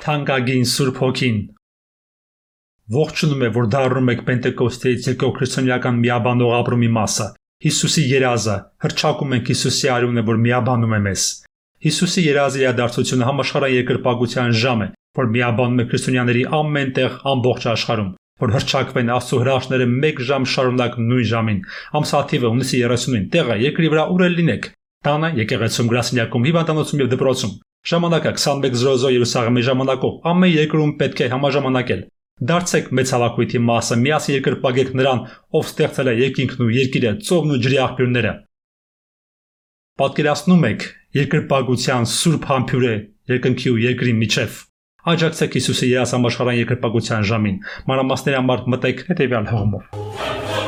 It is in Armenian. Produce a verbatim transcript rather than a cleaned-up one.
Թանկագին Սուրբ Հոգին ողջունում է, որ դառնում եք Պենտեկոստեից եկող քրիստոնեական միաբանող ապրումի մասը։ Հիսուսի երազը, հռչակում ենք Հիսուսի արյունը, որ միաբանում է մեզ։ Հիսուսի երազի իրադարձությունը համաշխարհային երկրպագության ժամ է, որ միաբանում է քրիստոնյաների ամեն տեղ ամբողջ աշխարհում, որ հռչակվեն Աստծո հրաշքները մեկ ժամ շարունակ նույն ժամին։ Ամսաթիվը հունիսի երեսունին տեղը երկրի վրա ուր էլ լինեք։ Տանը, եկեղեցում, գրասենյակում, հիվանդանոցում եւ դպրոցում։ Ժամանակը քսանմեկ զրո զրո Երուսաղեմի ժամանակով ամեն երկրում պետք է համաժամանակել։ Դարձեք մեծ հավաքույթի մասը, միասին երկրպագեք նրան, ով ստեղծել է երկինքն ու երկիրը, ծովն ու ջրի աղբյուրները։ Պատկերացնում եք երկրպագության սուրբ համբուրը երկնքի ու երկրի միջև։ Աջակցեք Հիսուսի երաս համաշխարհային երկրպագության ժամին։ Մանրամասների համար մտեք հետևյալ հղումով։